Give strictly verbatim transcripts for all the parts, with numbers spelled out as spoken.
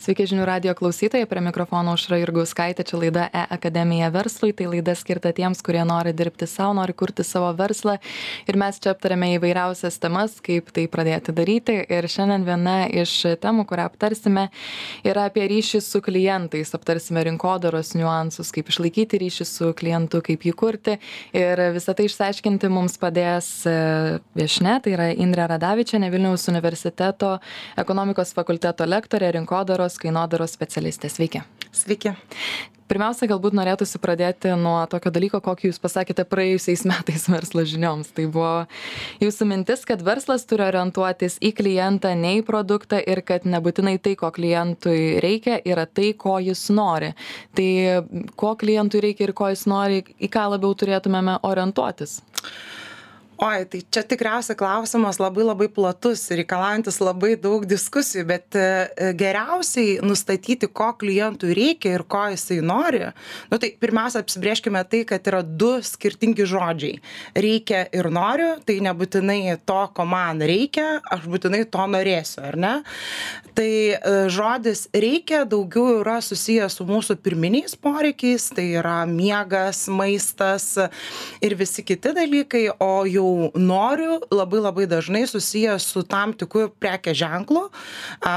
Sveiki žinių radio klausytojai, prie mikrofono Aušra Jurgauskaitė, čia laida E-akademija verslui, tai laida skirta tiems, kurie nori dirbti savo, nori kurti savo verslą ir mes čia aptarėme įvairiausias temas, kaip tai pradėti daryti ir šiandien viena iš temų, kurią aptarsime, yra apie ryšį su klientais, aptarsime rinkodaros niuansus, kaip išlaikyti ryšį su klientu, kaip jį kurti ir visą tai išsiaiškinti mums padės viešnia, tai yra Indrė Radavičienė, Vilniaus universiteto ekonomikos fakulteto lektorė, rinkodaros kainodaros specialistė. Sveiki. Sveiki. Pirmiausia, galbūt norėtųsi pradėti nuo tokio dalyko, kokį jūs pasakėte praėjusiais metais verslo žinioms. Tai buvo jūsų mintis, kad verslas turi orientuotis į klientą, ne į produktą ir kad nebūtinai tai, ko klientui reikia, yra tai, ko jis nori. Tai ko klientui reikia ir ko jis nori, į ką labiau turėtumėme orientuotis? Oi, tai čia tikriausiai klausimas labai labai platus ir reikalaujantis labai daug diskusijų, bet geriausiai nustatyti, ko klientui reikia ir ko jisai nori. Nu, tai pirmiausia, apsibrėžkime tai, kad yra du skirtingi žodžiai. Reikia ir noriu, tai nebūtinai to, ko man reikia, aš būtinai to norėsiu, ar ne? Tai žodis reikia daugiau yra susijęs su mūsų pirminiais poreikiais, tai yra miegas, maistas ir visi kiti dalykai, o jau noriu labai labai dažnai susijęs su tam tikru prekės ženklu,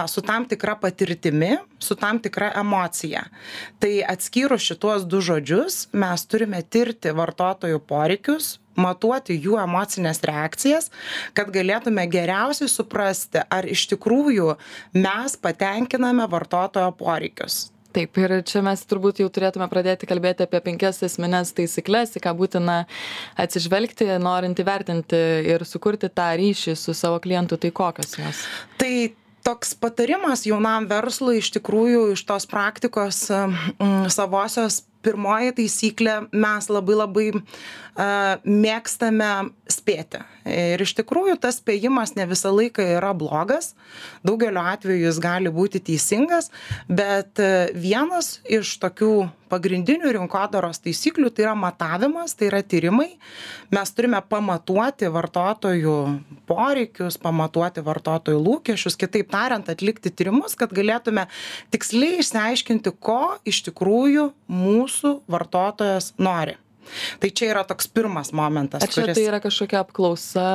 su tam tikra patirtimi, su tam tikra emocija. Tai atskyrus šituos du žodžius, mes turime tirti vartotojų poreikius, matuoti jų emocinės reakcijas, kad galėtume geriausiai suprasti, ar iš tikrųjų mes patenkiname vartotojo poreikius. Taip, ir čia mes turbūt jau turėtume pradėti kalbėti apie penkias esmines taisyklės, į ką būtina atsižvelgti, norint įvertinti ir sukurti tą ryšį su savo klientu, tai kokios jos? Tai toks patarimas jaunam verslui iš tikrųjų iš tos praktikos mm, savosios. Pirmoji taisyklė, mes labai labai uh, mėgstame spėti. Ir iš tikrųjų tas spėjimas ne visą laiką yra blogas, daugeliu atveju jis gali būti teisingas, bet uh, vienas iš tokių pagrindinių rinkodaros taisyklių tai yra matavimas, tai yra tyrimai. Mes turime pamatuoti vartotojų poreikius, pamatuoti vartotojų lūkesčius, kitaip tariant, atlikti tyrimus, kad galėtume tiksliai išsiaiškinti, ko iš tikrųjų mūsų mūsų vartotojas nori. Tai čia yra toks pirmas momentas. Ar čia kuris... tai yra kažkokia apklausa?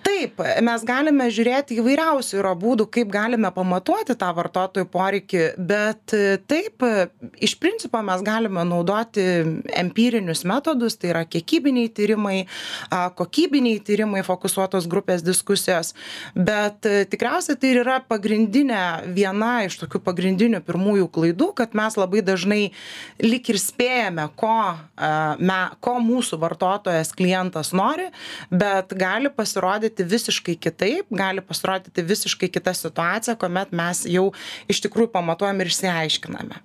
Taip, mes galime žiūrėti įvairiausių yra būdų, kaip galime pamatuoti tą vartotojų poreikį, bet taip, iš principo mes galime naudoti empirinius metodus, tai yra kiekybiniai tyrimai, kokybiniai tyrimai, fokusuotos grupės diskusijos, bet tikriausiai tai yra pagrindinė, viena iš tokių pagrindinių pirmųjų klaidų, kad mes labai dažnai lyg ir spėjame, ko, me, ko mūsų vartotojas klientas nori, bet gali pasirodyti visiškai kitaip, gali pasirodyti visiškai kita situacija, kuomet mes jau iš tikrųjų pamatuojam ir išsiaiškiname.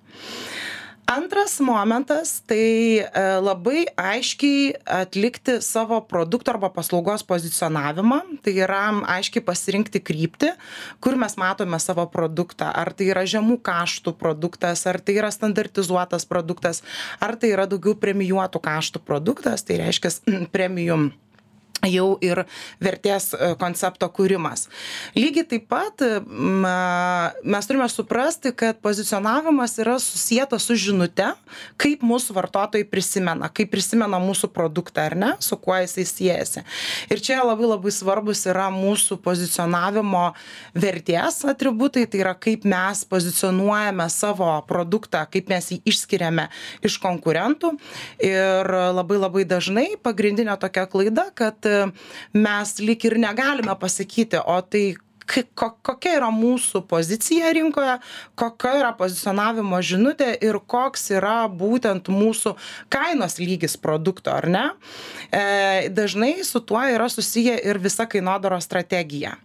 Antras momentas, tai labai aiškiai atlikti savo produkto arba paslaugos pozicionavimą, tai yra aiškiai pasirinkti kryptį, kur mes matome savo produktą, ar tai yra žemų kaštų produktas, ar tai yra standartizuotas produktas, ar tai yra daugiau premijuotų kaštų produktas, tai reiškia premium jau ir vertės koncepto kūrimas. Lygiai taip pat mes turime suprasti, kad pozicionavimas yra susietas su žinute, kaip mūsų vartotojai prisimena, kaip prisimena mūsų produktą, ar ne, su kuo jisai siejasi. Ir čia labai labai svarbus yra mūsų pozicionavimo vertės atributai, tai yra kaip mes pozicionuojame savo produktą, kaip mes jį išskiriame iš konkurentų. Ir labai labai dažnai pagrindinė tokia klaida, kad mes lyg ir negalime pasakyti, o tai kokia yra mūsų pozicija rinkoje, kokia yra pozicionavimo žinutė ir koks yra būtent mūsų kainos lygis produkto, ar ne? E, dažnai su tuo yra susiję ir visa kainodaros strategija.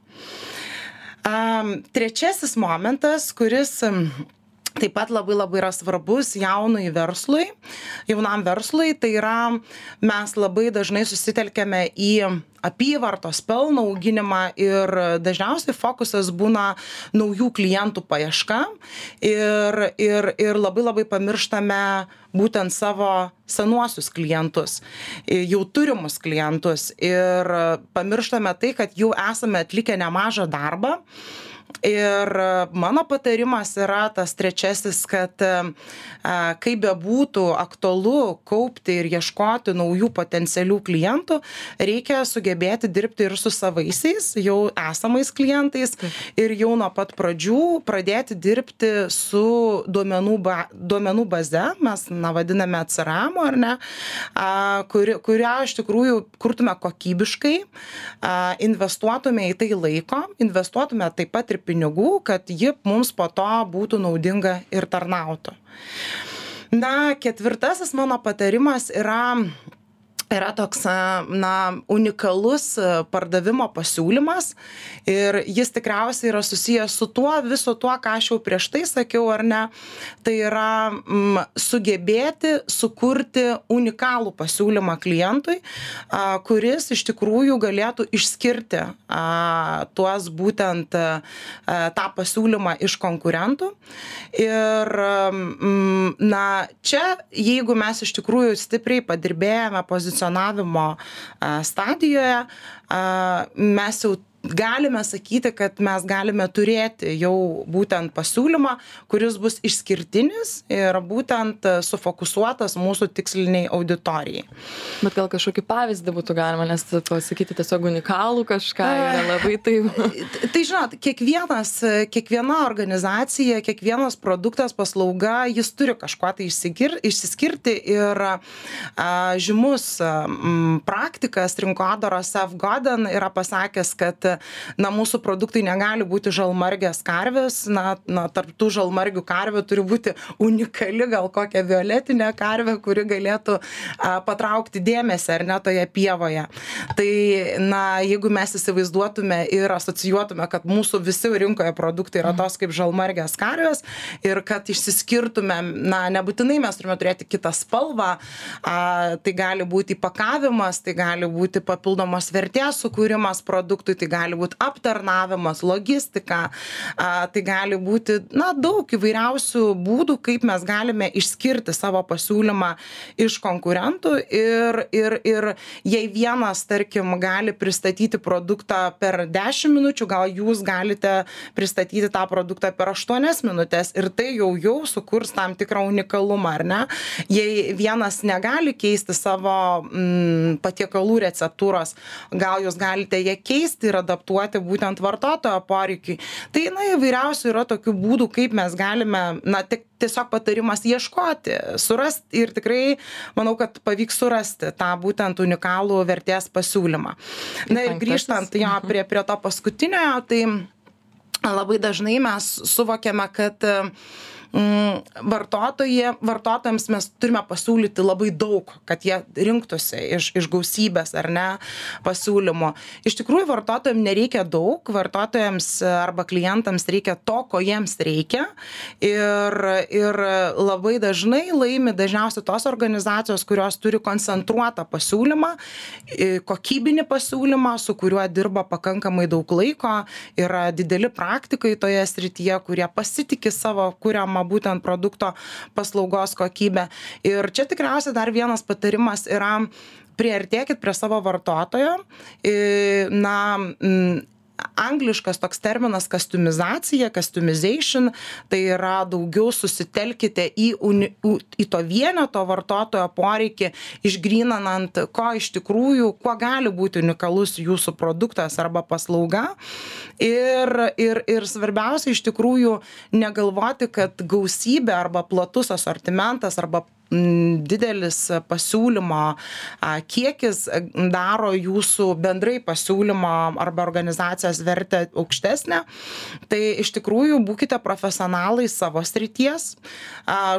Um, trečiasis momentas, kuris taip pat labai labai yra svarbus jaunui verslui, jaunam verslui, tai yra mes labai dažnai susitelkėme į apyvartos pelno auginimą ir dažniausiai fokusas būna naujų klientų paieška ir, ir, ir labai labai pamirštame būtent savo senuosius klientus, jau turimus klientus ir pamirštame tai, kad jau esame atlikę nemažą darbą Ir mano patarimas yra tas trečiasis, kad kaip bebūtų aktualu kaupti ir ieškoti naujų potencialių klientų, reikia sugebėti dirbti ir su savaisiais, jau esamais klientais ir jau nuo pat pradžių pradėti dirbti su duomenų, ba, duomenų baze, mes na, vadiname C R M, ar ne, kuri, kurią iš tikrųjų kurtume kokybiškai, investuotume į tai laiko, investuotume taip pat ir pinigų, kad ji mums po to būtų naudinga ir tarnautų. Na, ketvirtasis mano patarimas yra, yra toks, na, unikalus pardavimo pasiūlymas ir jis tikriausiai yra susijęs su tuo, viso tuo, ką aš jau prieš tai sakiau, ar ne, tai yra m, sugebėti sukurti unikalų pasiūlymą klientui, a, kuris iš tikrųjų galėtų išskirti a, tuos būtent a, tą pasiūlymą iš konkurentų. Ir, m, na, čia, jeigu mes iš tikrųjų stipriai padirbėjome pozicionavimo stadijoje, mes jau galime sakyti, kad mes galime turėti jau būtent pasiūlymą, kuris bus išskirtinis ir būtent sufokusuotas mūsų tiksliniai auditorijai. Bet gal kažkokį pavyzdį būtų galima, nes pasakyti tiesiog unikalų kažką yra labai taip. Tai žinot, kiekvienas, kiekviena organizacija, kiekvienas produktas, paslauga, jis turi kažkuo tai išsigir, išsiskirti ir a, žymus m, praktikas rinkodaros Seth Godin yra pasakęs, kad na, mūsų produktai negali būti žalmargės karvės, na, na, tarp tų žalmargių karvių turi būti unikali gal kokia violetinė karvė, kuri galėtų a, patraukti dėmesį ar ne toje pievoje. Tai, na, jeigu mes įsivaizduotume ir asocijuotume, kad mūsų visi rinkoje produktai yra tos kaip žalmargės karvės ir kad išsiskirtume, na, nebūtinai mes turime turėti kitą spalvą, a, tai gali būti įpakavimas, tai gali būti papildomos vertės sukūrimas produktui, tai gali gali būti aptarnavimas, logistika, a, tai gali būti, na, daug įvairiausių būdų, kaip mes galime išskirti savo pasiūlymą iš konkurentų ir, ir, ir jei vienas, tarkim, gali pristatyti produktą per dešimt minučių, gal jūs galite pristatyti tą produktą per aštuonias minutės ir tai jau jau sukurs tam tikrą unikalumą, ar ne? Jei vienas negali keisti savo mm, patiekalų receptūros, gal jūs galite ją keisti ir adaptuoti būtent vartotojo poreikiui. Tai, na, įvairiausių yra tokių būdų, kaip mes galime, na, tik tiesiog patarimas ieškoti, surasti ir tikrai manau, kad pavyks surasti tą būtent unikalų vertės pasiūlymą. Na ir grįžtant jo prie, prie to paskutiniojo, tai labai dažnai mes suvokiame, kad vartotojai, vartotojams mes turime pasiūlyti labai daug, kad jie rinktųsi iš, iš gausybės ar ne pasiūlymo. Iš tikrųjų, vartotojams nereikia daug, vartotojams arba klientams reikia to, ko jiems reikia ir, ir labai dažnai laimi dažniausiai tos organizacijos, kurios turi koncentruotą pasiūlymą, kokybinį pasiūlymą, su kuriuo dirba pakankamai daug laiko, yra dideli praktikai toje srityje, kurie pasitiki savo kuriamą būtent produkto paslaugos kokybę. Ir čia tikriausiai dar vienas patarimas yra priartėkit prie savo vartotojo. Na, angliškas toks terminas customizacija, customization, tai yra daugiau susitelkite į, uni, į to vieneto vartotojo poreikį, išgryninant, ko iš tikrųjų, kuo gali būti unikalus jūsų produktas arba paslauga. Ir, ir, ir svarbiausia iš tikrųjų negalvoti, kad gausybė arba platus asortimentas arba didelis pasiūlymo kiekis daro jūsų bendrai pasiūlymo arba organizacijos vertę aukštesnę. Tai iš tikrųjų būkite profesionalai savo srities.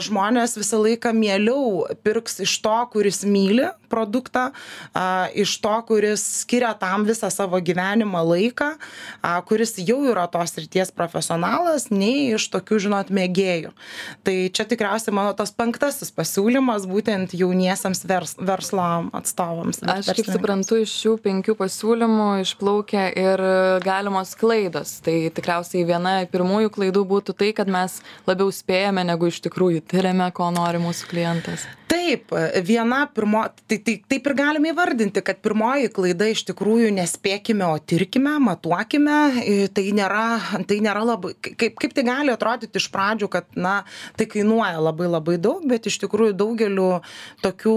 Žmonės visą laiką mieliau pirks iš to, kuris myli produktą, iš to, kuris skiria tam visą savo gyvenimą laiką, kuris jau yra tos srities profesionalas, nei iš tokių, žinot, mėgėjų. Tai čia tikriausiai mano tas penktasis pasiūlymas siūlymas būtent jauniesiams vers, verslo atstovams. Aš kaip suprantu, iš šių penkių pasiūlymų išplaukia ir galimos klaidos. Tai tikriausiai viena pirmųjų klaidų būtų tai, kad mes labiau spėjame, negu iš tikrųjų tiriame, ko nori mūsų klientas. Tai Taip, viena pirmo, tai, tai taip ir galime įvardinti, kad pirmoji klaida iš tikrųjų nespėkime, o tirkime, matuokime. Tai nėra, tai nėra labai, kaip, kaip tai gali atrodyti iš pradžių, kad, na, tai kainuoja labai labai daug, bet iš tikrųjų daugeliu tokių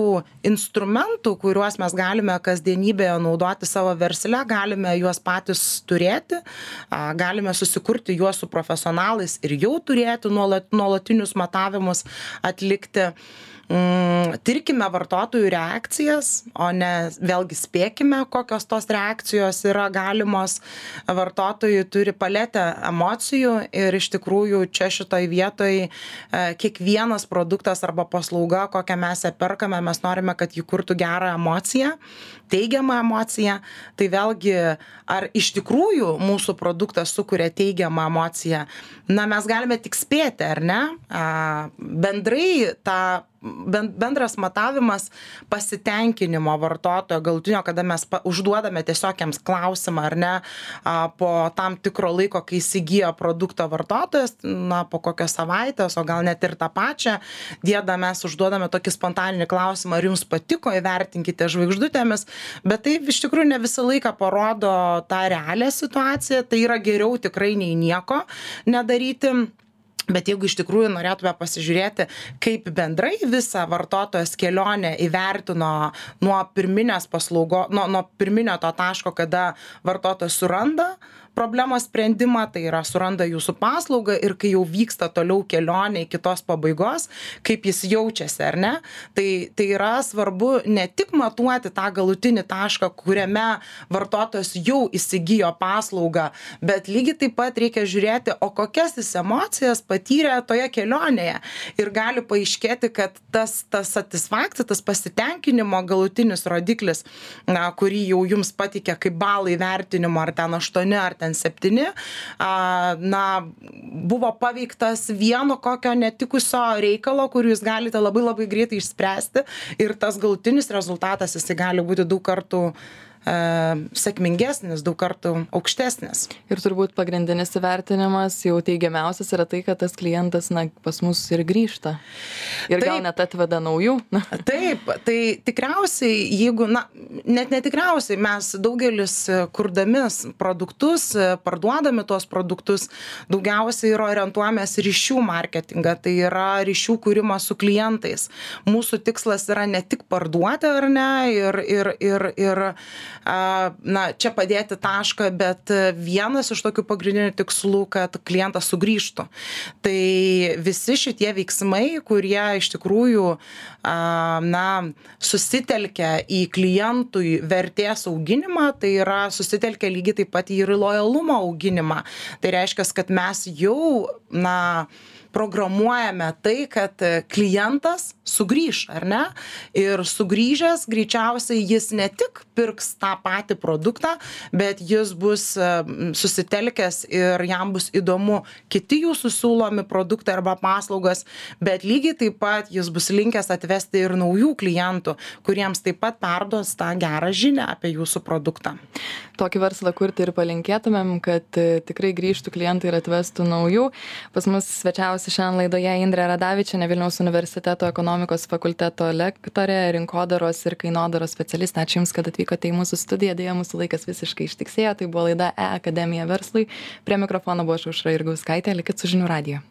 instrumentų, kuriuos mes galime kasdienybėje naudoti savo versle, galime juos patys turėti, galime susikurti juos su profesionalais ir jau turėti nuolat, nuolatinius matavimus atlikti. Mm, tirkime vartotojų reakcijas, o ne vėlgi spėkime, kokios tos reakcijos yra galimos. Vartotojai turi paletę emocijų ir iš tikrųjų čia šitoj vietoj e, kiekvienas produktas arba paslauga, kokią mes ją perkame, mes norime, kad jį kurtų gerą emociją, teigiamą emociją. Tai vėlgi, ar iš tikrųjų mūsų produktas sukuria teigiamą emociją, na mes galime tik spėti, ar ne? A, bendrai tą bendras matavimas pasitenkinimo vartotojo galutinio, kada mes užduodame tiesiog jiems klausimą, ar ne, po tam tikro laiko, kai įsigijo produktą vartotojas, na, po kokios savaitės, o gal net ir tą pačią dieną mes užduodame tokį spontaninį klausimą, ar jums patiko, įvertinkite žvaigždutėmis, bet tai iš tikrųjų ne visą laiką parodo tą realią situaciją, tai yra geriau tikrai nei nieko nedaryti. Bet jeigu iš tikrųjų norėtume pasižiūrėti, kaip bendrai visą vartotojas kelionę įvertino nuo pirminės paslaugo, nuo, nuo pirminio to taško, kada vartotojas suranda problemos sprendimą, tai yra suranda jūsų paslaugą ir kai jau vyksta toliau kelionė iki tos pabaigos, kaip jis jaučiasi, ar ne? Tai, tai yra svarbu ne tik matuoti tą galutinį tašką, kuriame vartotojas jau įsigijo paslaugą, bet lygiai taip pat reikia žiūrėti, o kokias jis emocijas patyrė toje kelionėje. Ir gali paaiškėti, kad tas, tas satisfakcija, tas pasitenkinimo galutinis rodiklis, na, kurį jau jums patikė kaip balai vertinimo, ar ten aštuoni, ar ten septyni, na, buvo paveiktas vieno kokio netikusio reikalo, kurį jūs galite labai labai greitai išspręsti ir tas galutinis rezultatas jisai gali būti daug kartų e, sėkmingesnis, daug kartų aukštesnis. Ir turbūt pagrindinis įvertinimas jau teigiamiausias yra tai, kad tas klientas, na, pas mus ir grįžta. Ir taip, gal net atveda naujų. Taip, tai tikriausiai, jeigu, na, net netikriausiai, mes daugelis kurdami produktus, parduodami tuos produktus, daugiausiai yra orientuojamės ryšių marketingą, tai yra ryšių kūrimas su klientais. Mūsų tikslas yra ne tik parduoti, ar ne, ir, ir, ir, ir na, čia padėti tašką, bet vienas iš tokių pagrindinių tikslų, kad klientas sugrįžtų. Tai visi šitie veiksmai, kurie iš tikrųjų na, susitelkia į klientui vertės auginimą, tai yra susitelkia lygiai taip pat ir į lojalumo auginimą. Tai reiškia, kad mes jau, na, programuojame tai, kad klientas sugrįš, ar ne? Ir sugrįžęs greičiausiai jis ne tik pirks tą patį produktą, bet jis bus susitelkęs ir jam bus įdomu kiti jūsų siūlomi produktai arba paslaugos, bet lygiai taip pat jis bus linkęs atvesti ir naujų klientų, kuriems taip pat perduos tą gerą žinią apie jūsų produktą. Tokį verslą kurti ir palinkėtumėm, kad tikrai grįžtų klientai ir atvestų naujų. Pas mus svečiavosi šiandien laidoje Indrė Radavičienė, Vilniaus universiteto ekonomikos fakulteto lektorė, rinkodaros ir kainodaros specialistė. Ačiū Jums, kad atvykote į mūsų studiją. Deja, mūsų laikas visiškai ištiksėjo. Tai buvo laida E-Akademija verslui. Prie mikrofono buvo Aušra Jurgauskaitė. Likit su žinių radiju.